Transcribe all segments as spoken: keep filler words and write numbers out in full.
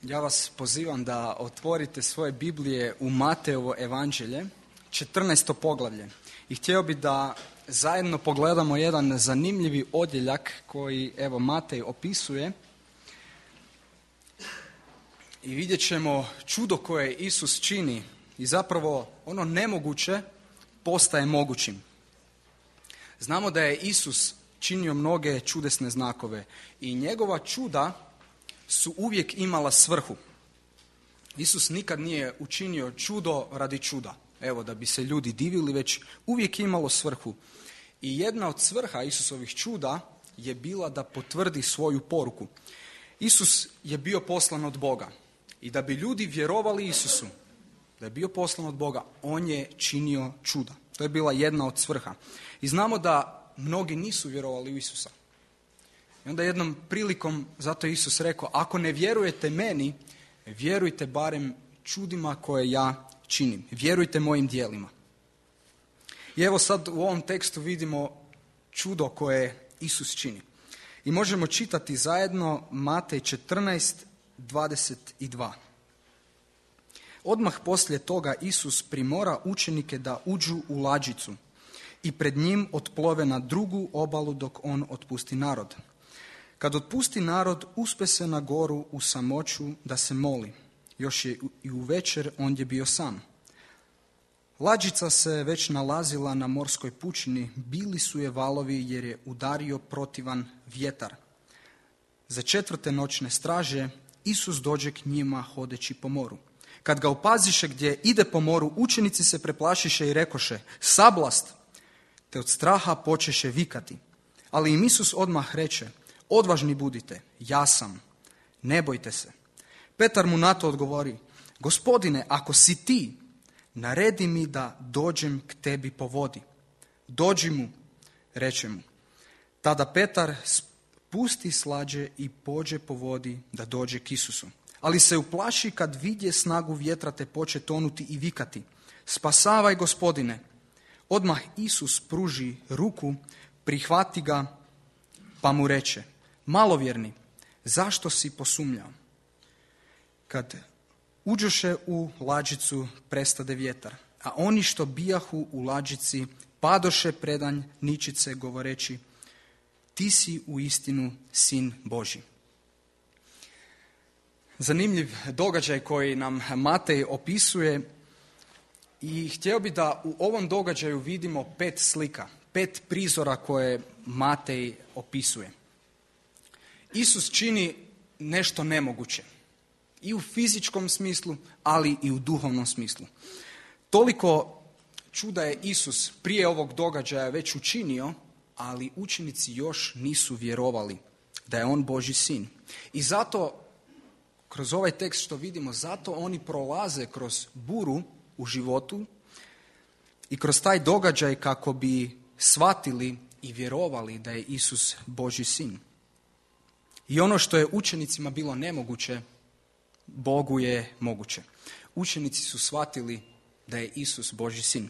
Ja vas pozivam da otvorite svoje Biblije u Mateovo evanđelje, četrnaesto poglavlje. I htio bih da zajedno pogledamo jedan zanimljivi odjeljak koji, evo, Matej opisuje. I vidjet ćemo čudo koje Isus čini i zapravo ono nemoguće postaje mogućim. Znamo da je Isus činio mnoge čudesne znakove i njegova čuda su uvijek imala svrhu. Isus nikad nije učinio čudo radi čuda, evo da bi se ljudi divili, već uvijek imalo svrhu. I jedna od svrha Isusovih čuda je bila da potvrdi svoju poruku. Isus je bio poslan od Boga i da bi ljudi vjerovali Isusu, da je bio poslan od Boga, on je činio čuda. To je bila jedna od svrha. I znamo da mnogi nisu vjerovali u Isusa. I onda jednom prilikom, zato je Isus rekao, ako ne vjerujete meni, vjerujte barem čudima koje ja činim. Vjerujte mojim djelima. I evo sad u ovom tekstu vidimo čudo koje Isus čini. I možemo čitati zajedno Matej četrnaest, dvadeset dva. Odmah poslije toga Isus primora učenike da uđu u lađicu i pred njim otplove na drugu obalu dok on otpusti narod. Kad otpusti narod, uspe se na goru u samoću da se moli. Još je i u večer ondje bio sam. Lađica se već nalazila na morskoj pučini, bili su je valovi jer je udario protivan vjetar. Za četvrte noćne straže Isus dođe k njima hodeći po moru. Kad ga opaziše gdje ide po moru, učenici se preplašiše i rekoše, sablast, te od straha počeše vikati. Ali im Isus odmah reče, odvažni budite, ja sam, ne bojte se. Petar mu na to odgovori, Gospodine, ako si ti, naredi mi da dođem k tebi po vodi. Dođi mu, reče mu. Tada Petar spusti slađe i pođe po vodi da dođe k Isusu. Ali se uplaši kad vidje snagu vjetra te poče tonuti i vikati, spasavaj Gospodine. Odmah Isus pruži ruku, prihvati ga, pa mu reče, malovjerni, zašto si posumnjao? Kad uđoše u lađicu, prestade vjetar, a oni što bijahu u lađici padoše predanj ničice govoreći, ti si u istinu sin Božji. Zanimljiv događaj koji nam Matej opisuje i htio bi da u ovom događaju vidimo pet slika, pet prizora koje Matej opisuje. Isus čini nešto nemoguće. I u fizičkom smislu, ali i u duhovnom smislu. Toliko čuda je Isus prije ovog događaja već učinio, ali učenici još nisu vjerovali da je on Božji sin. I zato, kroz ovaj tekst što vidimo, zato oni prolaze kroz buru u životu i kroz taj događaj kako bi shvatili i vjerovali da je Isus Božji sin. I ono što je učenicima bilo nemoguće, Bogu je moguće. Učenici su shvatili da je Isus Božji sin.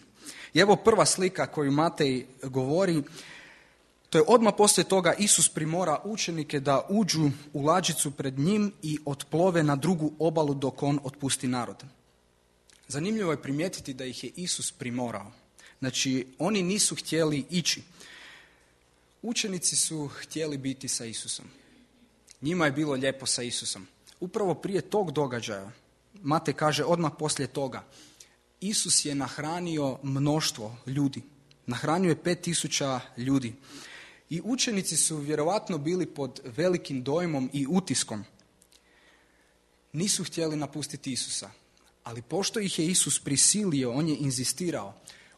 I evo prva slika koju Matej govori, to je odmah poslije toga Isus primora učenike da uđu u lađicu pred njim i otplove na drugu obalu dok on otpusti narod. Zanimljivo je primijetiti da ih je Isus primorao. Znači, oni nisu htjeli ići. Učenici su htjeli biti sa Isusom. Njima je bilo lijepo sa Isusom. Upravo prije tog događaja, Matej kaže odmah poslije toga, Isus je nahranio mnoštvo ljudi. Nahranio je pet tisuća ljudi. I učenici su vjerovatno bili pod velikim dojmom i utiskom. Nisu htjeli napustiti Isusa. Ali pošto ih je Isus prisilio, on je inzistirao.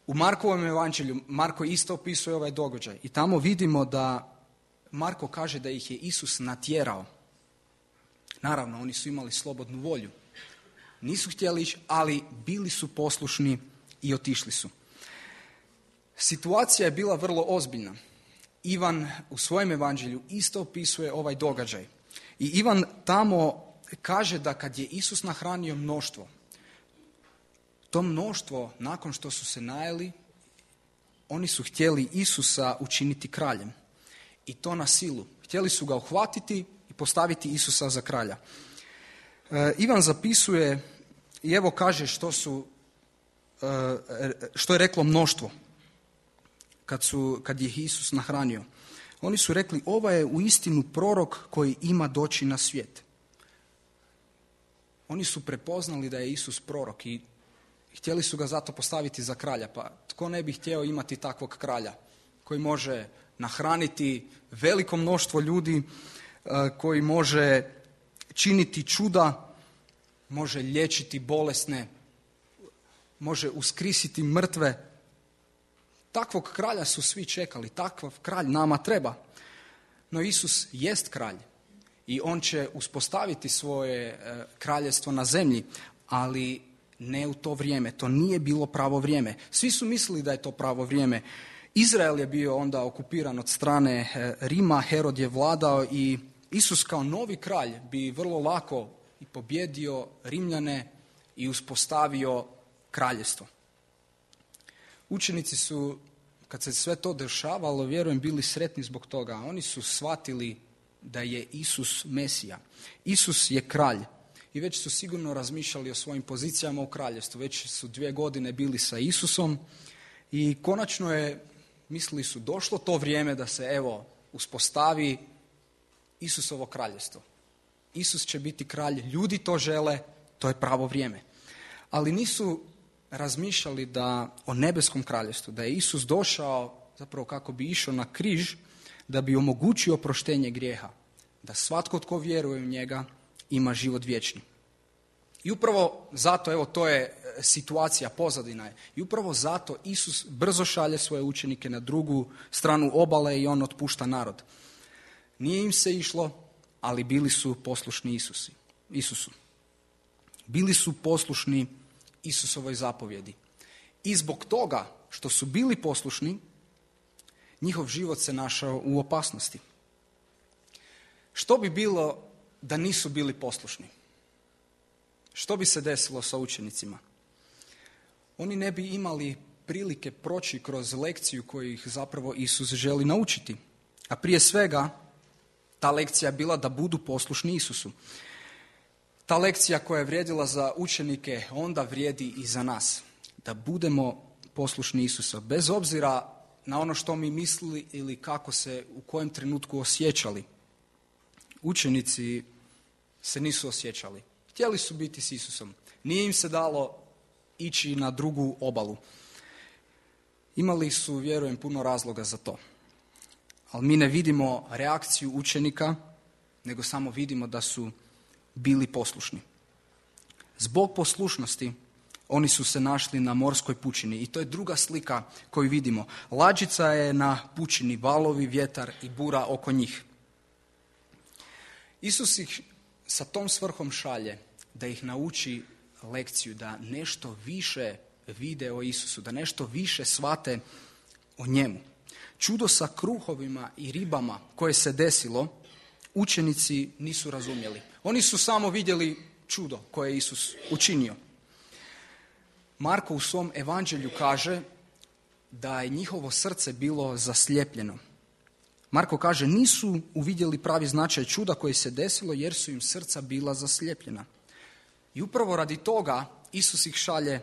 U Markovom evanđelju, Marko isto opisuje ovaj događaj. I tamo vidimo da Marko kaže da ih je Isus natjerao. Naravno, oni su imali slobodnu volju. Nisu htjeli ići, ali bili su poslušni i otišli su. Situacija je bila vrlo ozbiljna. Ivan u svojem evanđelju isto opisuje ovaj događaj. I Ivan tamo kaže da kad je Isus nahranio mnoštvo, to mnoštvo, nakon što su se najeli, oni su htjeli Isusa učiniti kraljem. I to na silu. Htjeli su ga uhvatiti i postaviti Isusa za kralja. E, Ivan zapisuje i evo kaže što su, e, što je reklo mnoštvo kad, su, kad je Isus nahranio. Oni su rekli, ovo je uistinu prorok koji ima doći na svijet. Oni su prepoznali da je Isus prorok i htjeli su ga zato postaviti za kralja. Pa tko ne bi htio imati takvog kralja koji može nahraniti veliko mnoštvo ljudi, koji može činiti čuda, može liječiti bolesne, može uskrisiti mrtve. Takvog kralja su svi čekali, takav kralj nama treba. No Isus jest kralj i on će uspostaviti svoje kraljevstvo na zemlji, ali ne u to vrijeme. To nije bilo pravo vrijeme. Svi su mislili da je to pravo vrijeme. Izrael je bio onda okupiran od strane Rima, Herod je vladao i Isus kao novi kralj bi vrlo lako i pobjedio Rimljane i uspostavio kraljevstvo. Učenici su, kad se sve to dešavalo, vjerujem, bili sretni zbog toga. Oni su shvatili da je Isus Mesija. Isus je kralj. I već su sigurno razmišljali o svojim pozicijama u kraljevstvu. Već su dvije godine bili sa Isusom i konačno je, mislili su, došlo to vrijeme da se evo uspostavi Isusovo kraljevstvo. Isus će biti kralj, ljudi to žele, to je pravo vrijeme. Ali nisu razmišljali da o nebeskom kraljevstvu, da je Isus došao zapravo kako bi išao na križ, da bi omogućio oproštenje grijeha, da svatko tko vjeruje u njega ima život vječni. I upravo zato, evo to je situacija, pozadina je, i upravo zato Isus brzo šalje svoje učenike na drugu stranu obale i on otpušta narod. Nije im se išlo, ali bili su poslušni Isusi, Isusu. Bili su poslušni Isusovoj zapovjedi. I zbog toga što su bili poslušni, njihov život se našao u opasnosti. Što bi bilo da nisu bili poslušni? Što bi se desilo sa učenicima? Oni ne bi imali prilike proći kroz lekciju koju ih zapravo Isus želi naučiti. A prije svega, ta lekcija je bila da budu poslušni Isusu. Ta lekcija koja je vrijedila za učenike, onda vrijedi i za nas. Da budemo poslušni Isusa, bez obzira na ono što mi mislili ili kako se u kojem trenutku osjećali. Učenici se nisu osjećali. Htjeli su biti s Isusom. Nije im se dalo ići na drugu obalu. Imali su, vjerujem, puno razloga za to. Ali mi ne vidimo reakciju učenika, nego samo vidimo da su bili poslušni. Zbog poslušnosti oni su se našli na morskoj pučini i to je druga slika koju vidimo. Lađica je na pučini, valovi, vjetar i bura oko njih. Isus ih sa tom svrhom šalje da ih nauči lekciju, da nešto više vide o Isusu, da nešto više shvate o njemu. Čudo sa kruhovima i ribama koje se desilo, učenici nisu razumjeli. Oni su samo vidjeli čudo koje je Isus učinio. Marko u svom evanđelju kaže da je njihovo srce bilo zaslijepljeno. Marko kaže, nisu uvidjeli pravi značaj čuda koje se desilo jer su im srca bila zaslijepljena. I upravo radi toga Isus ih šalje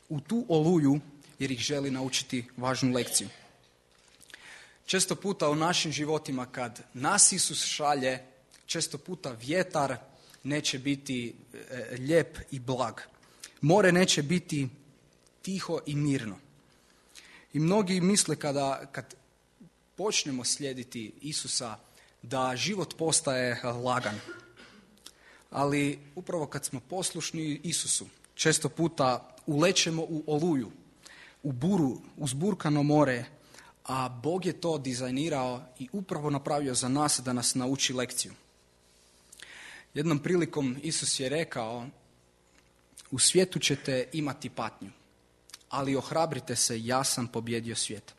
u tu oluju jer ih želi naučiti važnu lekciju. Često puta u našim životima kad nas Isus šalje, često puta vjetar neće biti e, lijep i blag. More neće biti tiho i mirno. I mnogi misle kada, kad počnemo slijediti Isusa da život postaje lagan. Ali upravo kad smo poslušni Isusu, često puta ulećemo u oluju, u buru, uzburkano more, a Bog je to dizajnirao i upravo napravio za nas da nas nauči lekciju. Jednom prilikom Isus je rekao, u svijetu ćete imati patnju, ali ohrabrite se, ja sam pobjedio svijet.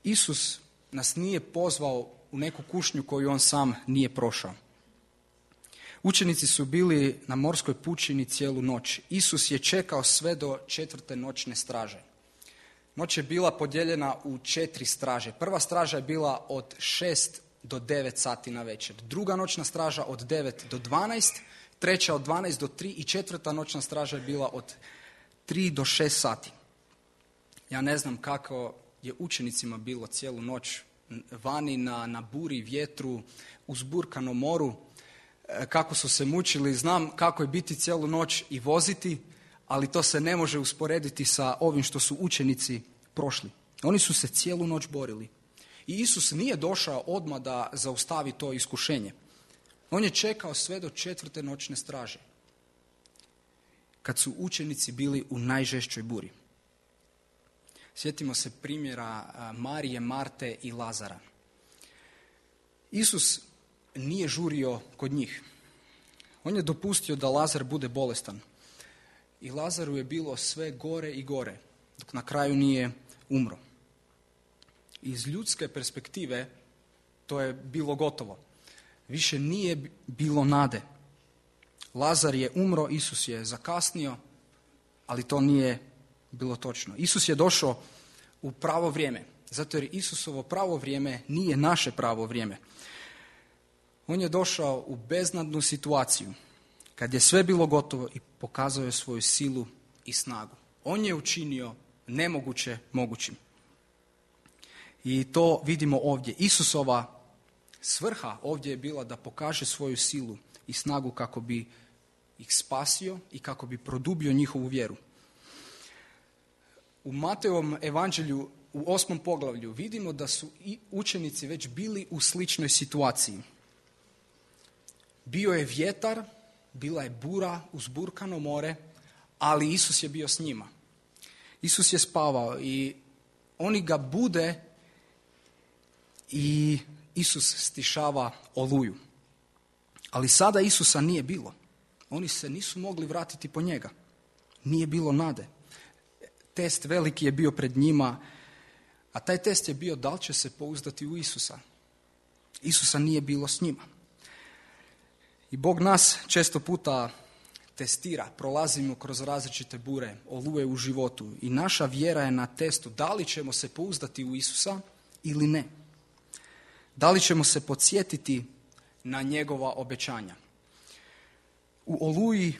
Isus nas nije pozvao u neku kušnju koju on sam nije prošao. Učenici su bili na morskoj pučini cijelu noć. Isus je čekao sve do četvrte noćne straže. Noć je bila podijeljena u četiri straže. Prva straža je bila od šest do devet sati na večer. Druga noćna straža od devet do dvanaest. treća od dvanaest do tri i četvrta noćna straža je bila od tri do šest sati. Ja ne znam kako je učenicima bilo cijelu noć vani na, na buri, vjetru, uzburkanom moru, kako su se mučili. Znam kako je biti cijelu noć i voziti, ali to se ne može usporediti sa ovim što su učenici prošli. Oni su se cijelu noć borili. I Isus nije došao odmah da zaustavi to iskušenje. On je čekao sve do četvrte noćne straže, kad su učenici bili u najžešćoj buri. Sjetimo se primjera Marije, Marte i Lazara. Isus nije žurio kod njih. On je dopustio da Lazar bude bolestan. I Lazaru je bilo sve gore i gore, dok na kraju nije umro. Iz ljudske perspektive to je bilo gotovo. Više nije bilo nade. Lazar je umro, Isus je zakasnio, ali to nije bilo točno. Isus je došao u pravo vrijeme, zato jer Isusovo pravo vrijeme nije naše pravo vrijeme. On je došao u beznadnu situaciju, kad je sve bilo gotovo i pokazao je svoju silu i snagu. On je učinio nemoguće mogućim. I to vidimo ovdje. Isusova svrha ovdje je bila da pokaže svoju silu i snagu kako bi ih spasio i kako bi produbio njihovu vjeru. U Mateovom evanđelju u osmom poglavlju vidimo da su i učenici već bili u sličnoj situaciji. Bio je vjetar, bila je bura, uzburkano more, ali Isus je bio s njima. Isus je spavao i oni ga bude i Isus stišava oluju. Ali sada Isusa nije bilo. Oni se nisu mogli vratiti po njega. Nije bilo nade. Test veliki je bio pred njima, a taj test je bio da li će se pouzdati u Isusa. Isusa nije bilo s njima. I Bog nas često puta testira, prolazimo kroz različite bure, oluje u životu i naša vjera je na testu da li ćemo se pouzdati u Isusa ili ne. Da li ćemo se podsjetiti na njegova obećanja. U oluji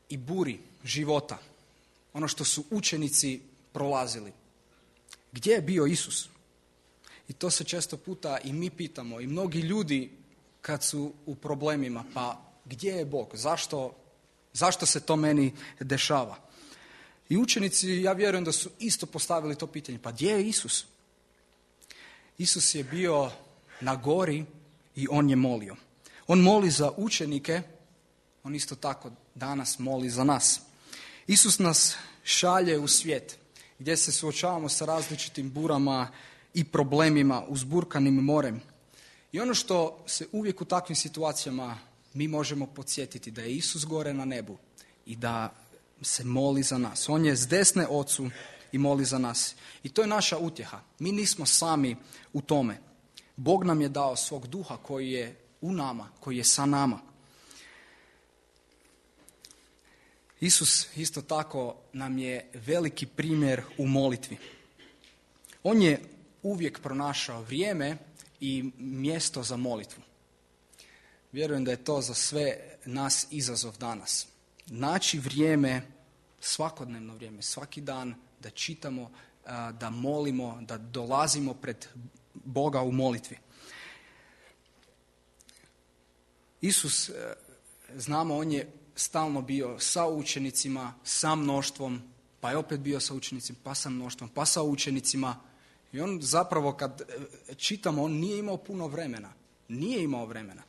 i buri života, ono što su učenici prolazili, gdje je bio Isus? I to se često puta i mi pitamo i mnogi ljudi kad su u problemima, pa gdje je Bog? Zašto, zašto se to meni dešava? I učenici, ja vjerujem da su isto postavili to pitanje, pa gdje je Isus? Isus je bio na gori i on je molio. On moli za učenike, on isto tako danas moli za nas. Isus nas šalje u svijet gdje se suočavamo sa različitim burama i problemima, uzburkanim morem. I ono što se uvijek u takvim situacijama mi možemo podsjetiti da je Isus gore na nebu i da se moli za nas. On je s desne Ocu i moli za nas. I to je naša utjeha. Mi nismo sami u tome. Bog nam je dao svog duha koji je u nama, koji je sa nama. Isus isto tako nam je veliki primjer u molitvi. On je uvijek pronašao vrijeme i mjesto za molitvu. Vjerujem da je to za sve nas izazov danas. Naći vrijeme, svakodnevno vrijeme, svaki dan da čitamo, da molimo, da dolazimo pred Boga u molitvi. Isus, znamo, on je stalno bio sa učenicima, sa mnoštvom, pa je opet bio sa učenicima, pa sa mnoštvom, pa sa učenicima. I on zapravo, kad čitamo, on nije imao puno vremena. Nije imao vremena.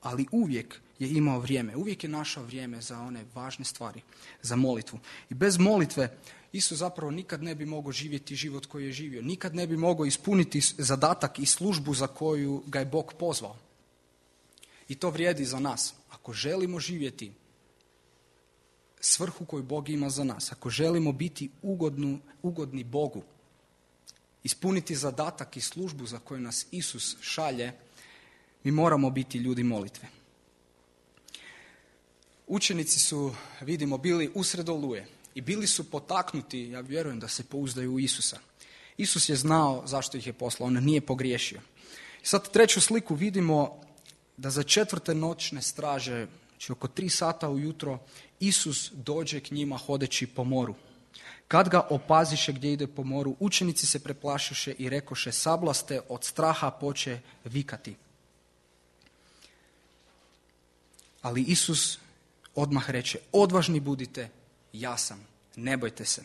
Ali uvijek je imao vrijeme. Uvijek je našao vrijeme za one važne stvari, za molitvu. I bez molitve Isus zapravo nikad ne bi mogao živjeti život koji je živio. Nikad ne bi mogao ispuniti zadatak i službu za koju ga je Bog pozvao. I to vrijedi za nas. Ako želimo živjeti svrhu koju Bog ima za nas, ako želimo biti ugodnu, ugodni Bogu, ispuniti zadatak i službu za koju nas Isus šalje, mi moramo biti ljudi molitve. Učenici su, vidimo, bili usred oluje i bili su potaknuti, ja vjerujem, da se pouzdaju u Isusa. Isus je znao zašto ih je poslao, on nije pogriješio. I sad treću sliku vidimo da za četvrte noćne straže Znači oko tri sata ujutro Isus dođe k njima hodeći po moru. Kad ga opaziše gdje ide po moru, učenici se preplašiše i rekoše, sablaste, od straha poče vikati. Ali Isus odmah reče, odvažni budite, ja sam, ne bojte se.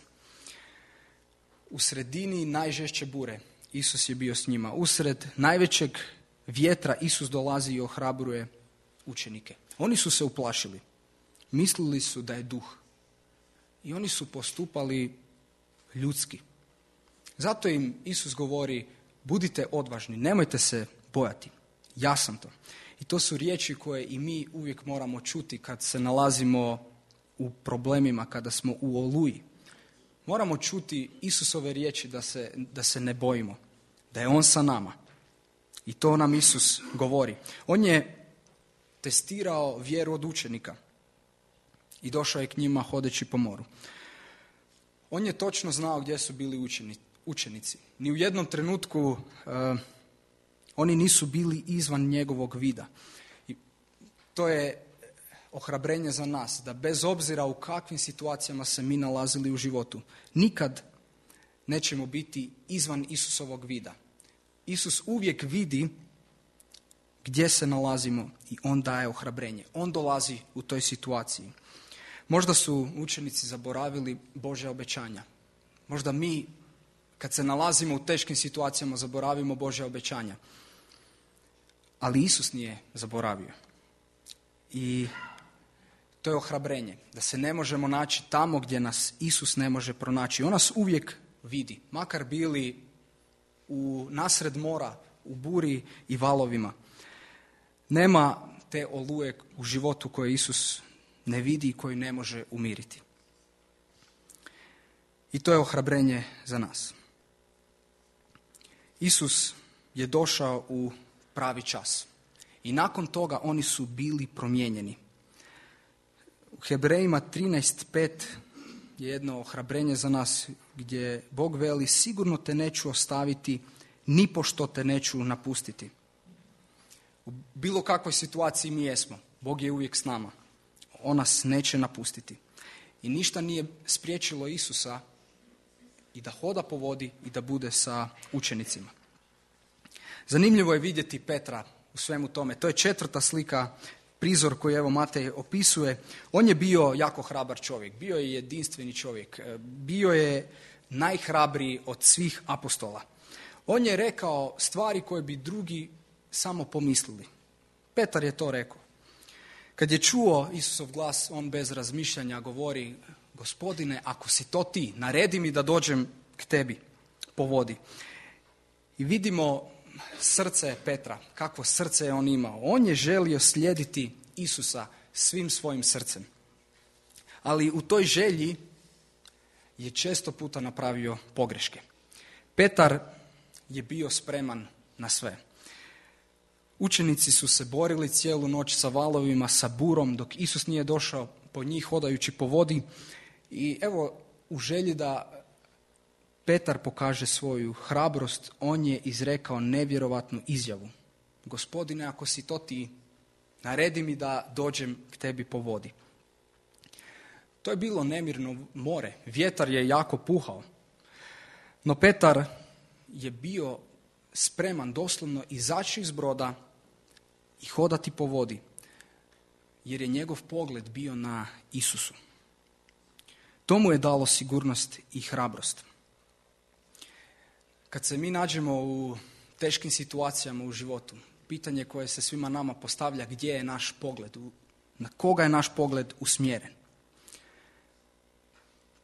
U sredini najžešće bure Isus je bio s njima. Usred najvećeg vjetra Isus dolazi i ohrabruje učenike. Oni su se uplašili. Mislili su da je duh. I oni su postupali ljudski. Zato im Isus govori, budite odvažni, nemojte se bojati. Ja sam to. I to su riječi koje i mi uvijek moramo čuti kad se nalazimo u problemima, kada smo u oluji. Moramo čuti Isusove riječi da se, da se ne bojimo, da je On sa nama. I to nam Isus govori. On je testirao vjeru od učenika i došao je k njima hodeći po moru. On je točno znao gdje su bili učenici. Ni u jednom trenutku uh, oni nisu bili izvan njegovog vida. I to je ohrabrenje za nas, da bez obzira u kakvim situacijama se mi nalazili u životu, nikad nećemo biti izvan Isusovog vida. Isus uvijek vidi gdje se nalazimo i On daje ohrabrenje. On dolazi u toj situaciji. Možda su učenici zaboravili Božja obećanja. Možda mi, kad se nalazimo u teškim situacijama, zaboravimo Božja obećanja. Ali Isus nije zaboravio. I to je ohrabrenje, da se ne možemo naći tamo gdje nas Isus ne može pronaći. On nas uvijek vidi, makar bili u nasred mora, u buri i valovima. Nema te oluje u životu koje Isus ne vidi i koju ne može umiriti. I to je ohrabrenje za nas. Isus je došao u pravi čas. I nakon toga oni su bili promijenjeni. U Hebrejima trinaest pet je jedno ohrabrenje za nas gdje Bog veli, sigurno te neću ostaviti, nipošto te neću napustiti. U bilo kakvoj situaciji mi jesmo, Bog je uvijek s nama. On nas neće napustiti. I ništa nije spriječilo Isusa i da hoda po vodi i da bude sa učenicima. Zanimljivo je vidjeti Petra u svemu tome. To je četvrta slika, prizor koji evo Matej opisuje. On je bio jako hrabar čovjek, bio je jedinstveni čovjek, bio je najhrabriji od svih apostola. On je rekao stvari koje bi drugi samo pomislili. Petar je to rekao. Kad je čuo Isusov glas, on bez razmišljanja govori, Gospodine, ako si to ti, naredi mi da dođem k tebi po vodi. I vidimo srce Petra, kakvo srce je on imao. On je želio slijediti Isusa svim svojim srcem. Ali u toj želji je često puta napravio pogreške. Petar je bio spreman na sve. Učenici su se borili cijelu noć sa valovima, sa burom, dok Isus nije došao po njih hodajući po vodi. I evo, u želji da Petar pokaže svoju hrabrost, on je izrekao nevjerovatnu izjavu. Gospodine, ako si to ti, naredi mi da dođem k tebi po vodi. To je bilo nemirno more, vjetar je jako puhao. No Petar je bio spreman doslovno izaći iz broda i hodati po vodi, jer je njegov pogled bio na Isusu. To mu je dalo sigurnost i hrabrost. Kad se mi nađemo u teškim situacijama u životu, pitanje koje se svima nama postavlja, gdje je naš pogled, na koga je naš pogled usmjeren.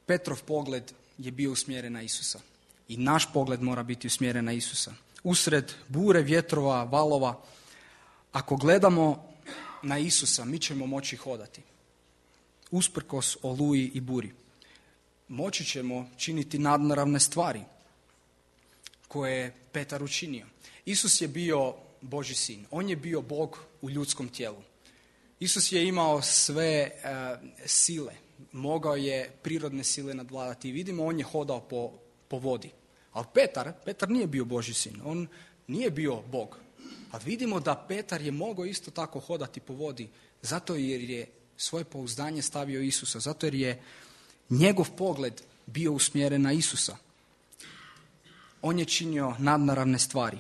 Petrov pogled je bio usmjeren na Isusa i naš pogled mora biti usmjeren na Isusa. Usred bure, vjetrova, valova, ako gledamo na Isusa, mi ćemo moći hodati. Usprkos oluji i buri. Moći ćemo činiti nadnaravne stvari koje je Petar učinio. Isus je bio Božji sin. On je bio Bog u ljudskom tijelu. Isus je imao sve uh, sile. Mogao je prirodne sile nadvladati. I vidimo, on je hodao po, po vodi. Ali Petar, Petar nije bio Božji sin. On nije bio Bog. A vidimo da Petar je mogao isto tako hodati po vodi, zato jer je svoje pouzdanje stavio Isusa, zato jer je njegov pogled bio usmjeren na Isusa. On je činio nadnaravne stvari.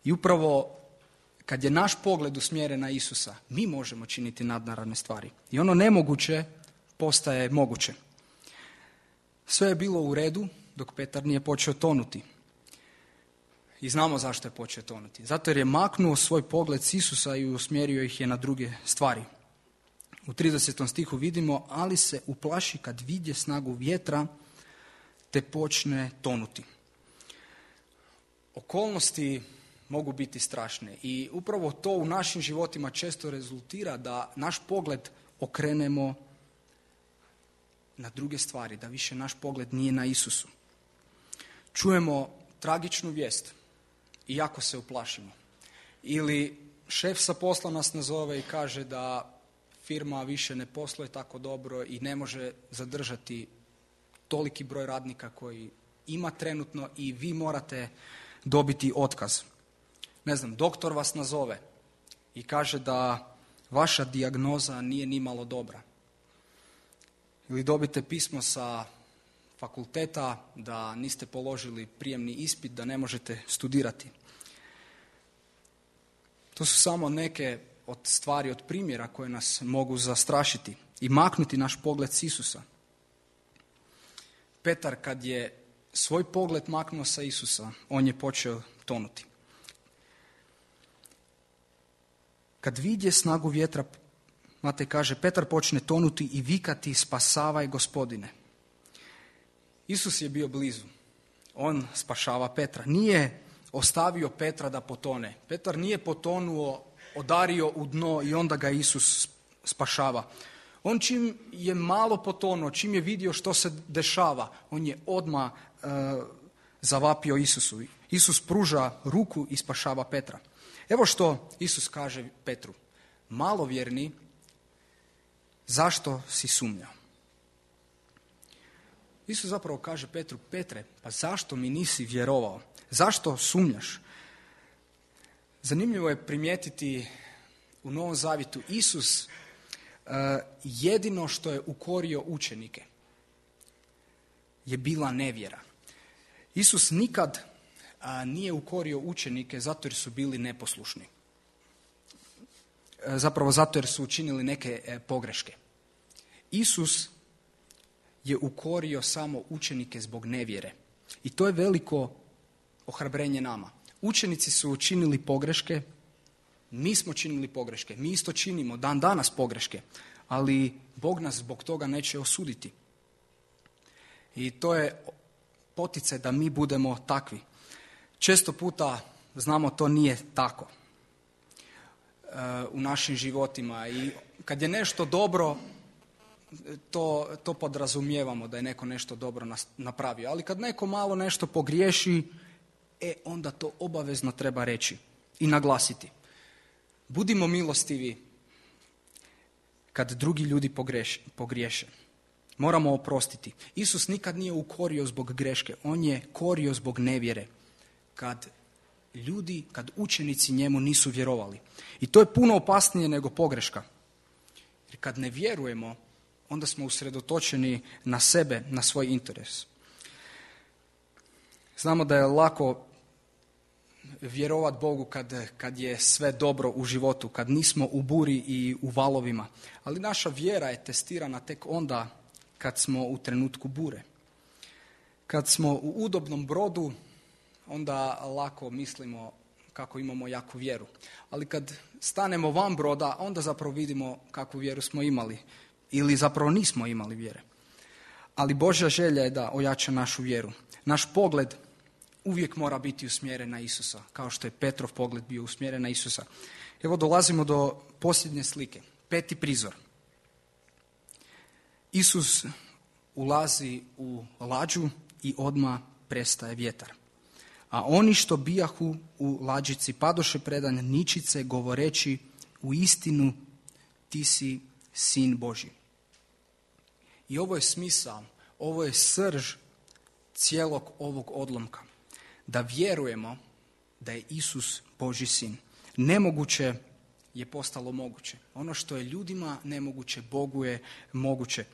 I upravo kad je naš pogled usmjeren na Isusa, mi možemo činiti nadnaravne stvari. I ono nemoguće postaje moguće. Sve je bilo u redu dok Petar nije počeo tonuti. I znamo zašto je počeo tonuti. Zato jer je maknuo svoj pogled s Isusa i usmjerio ih je na druge stvari. U tridesetom stihu vidimo, ali se uplaši kad vidje snagu vjetra te počne tonuti. Okolnosti mogu biti strašne i upravo to u našim životima često rezultira da naš pogled okrenemo na druge stvari, da više naš pogled nije na Isusu. Čujemo tragičnu vijest i jako se uplašimo. Ili šef sa posla nas nazove i kaže da firma više ne posluje tako dobro i ne može zadržati toliki broj radnika koji ima trenutno i vi morate dobiti otkaz. Ne znam, doktor vas nazove i kaže da vaša dijagnoza nije ni malo dobra. Ili dobite pismo sa fakulteta da niste položili prijemni ispit, da ne možete studirati. To su samo neke od stvari, od primjera koje nas mogu zastrašiti i maknuti naš pogled s Isusa. Petar kad je svoj pogled maknuo sa Isusa, on je počeo tonuti. Kad vidje snagu vjetra, Matej kaže, Petar počne tonuti i vikati, spasavaj Gospodine. Isus je bio blizu. On spašava Petra. Nije ostavio Petra da potone. Petar nije potonuo, odario u dno i onda ga Isus spašava. On čim je malo potonuo, čim je vidio što se dešava, on je odmah e, zavapio Isusu. Isus pruža ruku i spašava Petra. Evo što Isus kaže Petru. Malovjerni, zašto si sumnjao? Isus zapravo kaže Petru, Petre, pa zašto mi nisi vjerovao? Zašto sumnjaš? Zanimljivo je primijetiti u Novom Zavjetu Isus uh, jedino što je ukorio učenike je bila nevjera. Isus nikad uh, nije ukorio učenike zato jer su bili neposlušni. Uh, zapravo zato jer su učinili neke uh, pogreške. Isus je ukorio samo učenike zbog nevjere. I to je veliko ohrabrenje nama. Učenici su učinili pogreške, mi smo činili pogreške, mi isto činimo dan danas pogreške, ali Bog nas zbog toga neće osuditi. I to je poticaj da mi budemo takvi. Često puta znamo to nije tako uh, u našim životima i kad je nešto dobro, to, to podrazumijevamo da je neko nešto dobro napravio, ali kad neko malo nešto pogriješi, e onda to obavezno treba reći i naglasiti. Budimo milostivi kad drugi ljudi pogreš, pogriješe. Moramo oprostiti. Isus nikad nije ukorio zbog greške, on je korio zbog nevjere. Kad ljudi, kad učenici njemu nisu vjerovali. I to je puno opasnije nego pogreška. Jer kad ne vjerujemo, onda smo usredotočeni na sebe, na svoj interes. Znamo da je lako vjerovat Bogu kad, kad je sve dobro u životu, kad nismo u buri i u valovima. Ali naša vjera je testirana tek onda kad smo u trenutku bure. Kad smo u udobnom brodu, onda lako mislimo kako imamo jaku vjeru. Ali kad stanemo van broda, onda zapravo vidimo kakvu vjeru smo imali. Ili zapravo nismo imali vjere. Ali Božja želja je da ojača našu vjeru. Naš pogled uvijek mora biti usmjeren na Isusa, kao što je Petrov pogled bio usmjeren na Isusa. Evo dolazimo do posljednje slike, peti prizor. Isus ulazi u lađu i odmah prestaje vjetar. A oni što bijahu u lađici padoše predan ničice govoreći u istinu ti si Sin Božji. I ovo je smisao, ovo je srž cijelog ovog odlomka. Da vjerujemo da je Isus Božji sin. Nemoguće je postalo moguće. Ono što je ljudima nemoguće, Bogu je moguće.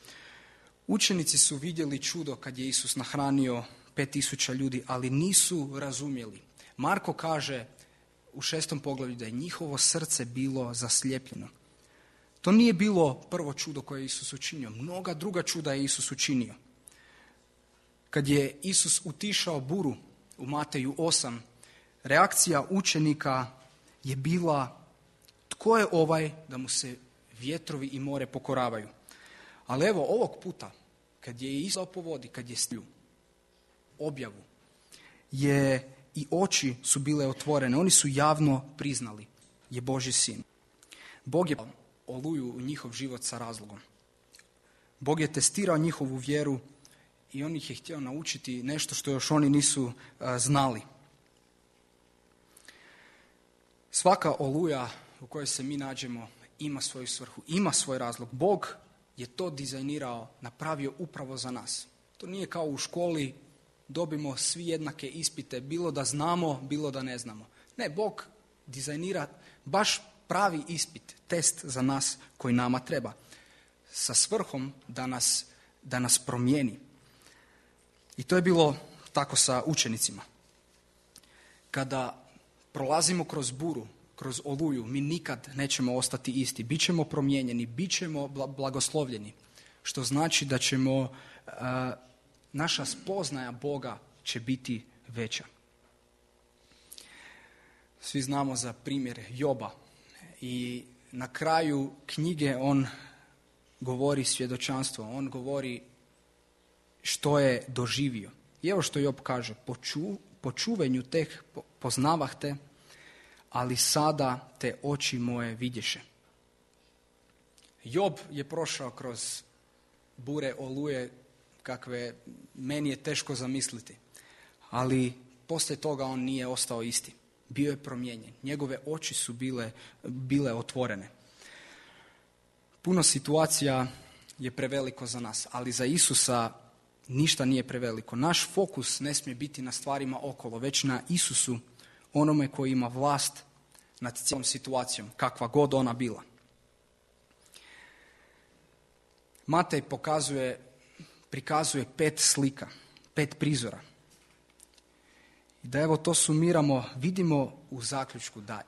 Učenici su vidjeli čudo kad je Isus nahranio pet tisuća ljudi, ali nisu razumjeli. Marko kaže u šestom poglavlju da je njihovo srce bilo zaslijepljeno. To nije bilo prvo čudo koje je Isus učinio. Mnoga druga čuda je Isus učinio. Kad je Isus utišao buru u Mateju osam, reakcija učenika je bila: tko je ovaj da mu se vjetrovi i more pokoravaju? Ali evo, ovog puta, kad je Isus po vodi, kad je stlju objavu, je i oči su bile otvorene. Oni su javno priznali je Božji sin. Bog je oluju u njihov život sa razlogom. Bog je testirao njihovu vjeru i on ih je htio naučiti nešto što još oni nisu uh, znali. Svaka oluja u kojoj se mi nađemo ima svoju svrhu, ima svoj razlog. Bog je to dizajnirao, napravio upravo za nas. To nije kao u školi, dobimo svi jednake ispite, bilo da znamo, bilo da ne znamo. Ne, Bog dizajnira baš pravi ispit, test za nas koji nama treba, sa svrhom da nas, da nas promijeni. I to je bilo tako sa učenicima. Kada prolazimo kroz buru, kroz oluju, mi nikad nećemo ostati isti. Bićemo promijenjeni, bićemo blagoslovljeni, što znači da ćemo, uh, naša spoznaja Boga će biti veća. Svi znamo za primjer Joba i na kraju knjige on govori svjedočanstvo, on govori što je doživio. I evo što Job kaže: Poču, po čuvenju tek poznavah te, ali sada te oči moje vidješe. Job je prošao kroz bure, oluje, kakve meni je teško zamisliti, ali poslije toga on nije ostao isti. Bio je promijenjen. Njegove oči su bile, bile otvorene. Puno situacija je preveliko za nas, ali za Isusa ništa nije preveliko. Naš fokus ne smije biti na stvarima okolo, već na Isusu, onome koji ima vlast nad cijelom situacijom, kakva god ona bila. Matej pokazuje, prikazuje pet slika, pet prizora. I da evo to sumiramo, vidimo u zaključku da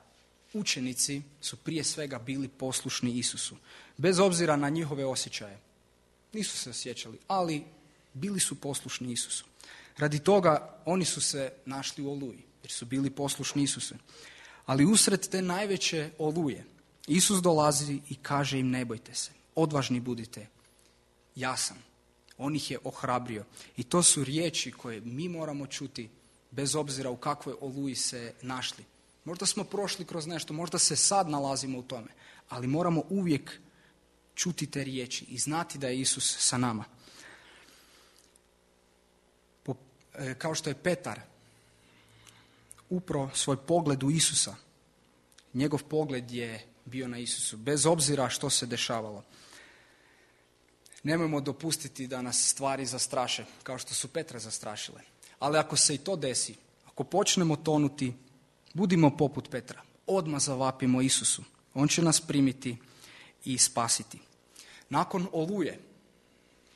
učenici su prije svega bili poslušni Isusu. Bez obzira na njihove osjećaje. Nisu se osjećali, ali bili su poslušni Isusu. Radi toga oni su se našli u oluji, jer su bili poslušni Isusu. Ali usred te najveće oluje Isus dolazi i kaže im: ne bojte se, odvažni budite, ja sam. On ih je ohrabrio. I to su riječi koje mi moramo čuti bez obzira u kakvoj oluji se našli. Možda smo prošli kroz nešto, možda se sad nalazimo u tome, ali moramo uvijek čuti te riječi i znati da je Isus sa nama. Po, e, kao što je Petar upro svoj pogled u Isusa, njegov pogled je bio na Isusu, bez obzira što se dešavalo. Nemojmo dopustiti da nas stvari zastraše, kao što su Petra zastrašile. Ali ako se i to desi, ako počnemo tonuti, budimo poput Petra. Odmah zavapimo Isusu. On će nas primiti i spasiti. Nakon oluje,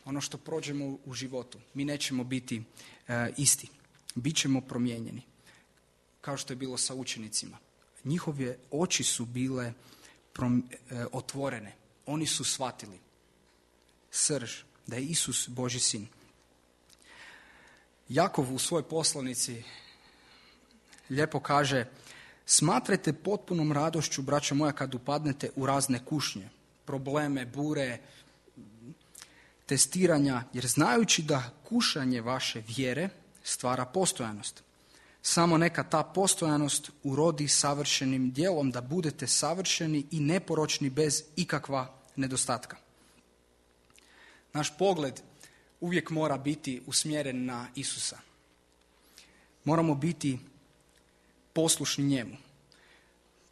ono što prođemo u životu, mi nećemo biti e, isti. Bićemo promijenjeni. Kao što je bilo sa učenicima. Njihove oči su bile prom, e, otvorene. Oni su shvatili srž, da je Isus Božji sin. Jakov u svojoj poslanici lijepo kaže: smatrajte potpunom radošću, braćo moja, kad upadnete u razne kušnje, probleme, bure, testiranja, jer znajući da kušanje vaše vjere stvara postojanost. Samo neka ta postojanost urodi savršenim djelom, da budete savršeni i neporočni bez ikakva nedostatka. Naš pogled uvijek mora biti usmjeren na Isusa. Moramo biti poslušni njemu.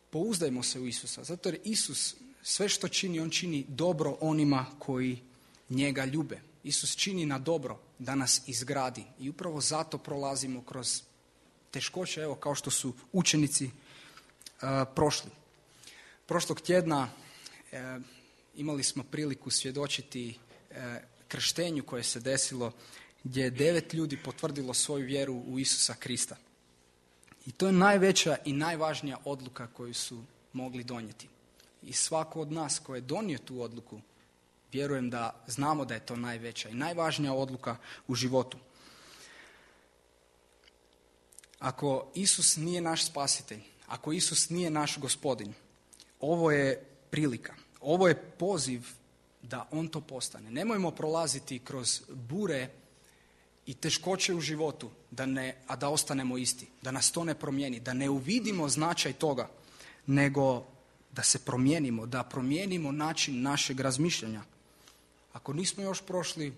Pouzdajmo se u Isusa, zato jer Isus sve što čini, on čini dobro onima koji njega ljube. Isus čini na dobro da nas izgradi i upravo zato prolazimo kroz teškoće, evo kao što su učenici uh, prošli. Prošlog tjedna uh, imali smo priliku svjedočiti uh, krštenju koje se desilo gdje je devet ljudi potvrdilo svoju vjeru u Isusa Krista. I to je najveća i najvažnija odluka koju su mogli donijeti. I svako od nas koji je donio tu odluku, vjerujem da znamo da je to najveća i najvažnija odluka u životu. Ako Isus nije naš spasitelj, ako Isus nije naš gospodin, ovo je prilika, ovo je poziv da on to postane. Nemojmo prolaziti kroz bure i teškoće u životu, da ne, a da ostanemo isti, da nas to ne promijeni, da ne uvidimo značaj toga, nego da se promijenimo, da promijenimo način našeg razmišljanja. Ako nismo još prošli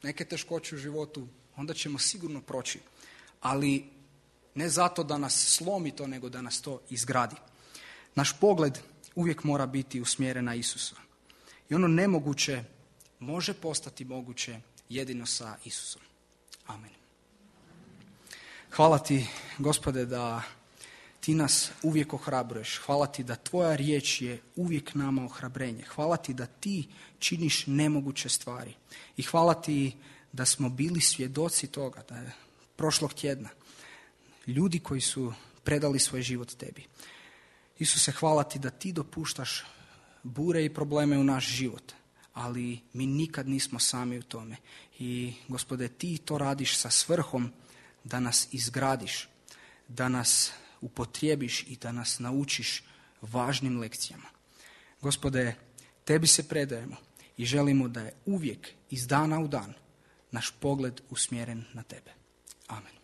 neke teškoće u životu, onda ćemo sigurno proći. Ali ne zato da nas slomi to, nego da nas to izgradi. Naš pogled uvijek mora biti usmjeren na Isusa. I ono nemoguće može postati moguće jedino sa Isusom. Amen. Hvala ti, Gospode, da ti nas uvijek ohrabruješ. Hvala ti da tvoja riječ je uvijek nama ohrabrenje. Hvala ti da ti činiš nemoguće stvari. I hvala ti da smo bili svjedoci toga, da je prošlog tjedna ljudi koji su predali svoj život tebi. Isuse, hvala ti da ti dopuštaš bure i probleme u naš život, ali mi nikad nismo sami u tome. I, Gospode, ti to radiš sa svrhom da nas izgradiš, da nas upotrijebiš i da nas naučiš važnim lekcijama. Gospode, tebi se predajemo i želimo da je uvijek iz dana u dan naš pogled usmjeren na tebe. Amen.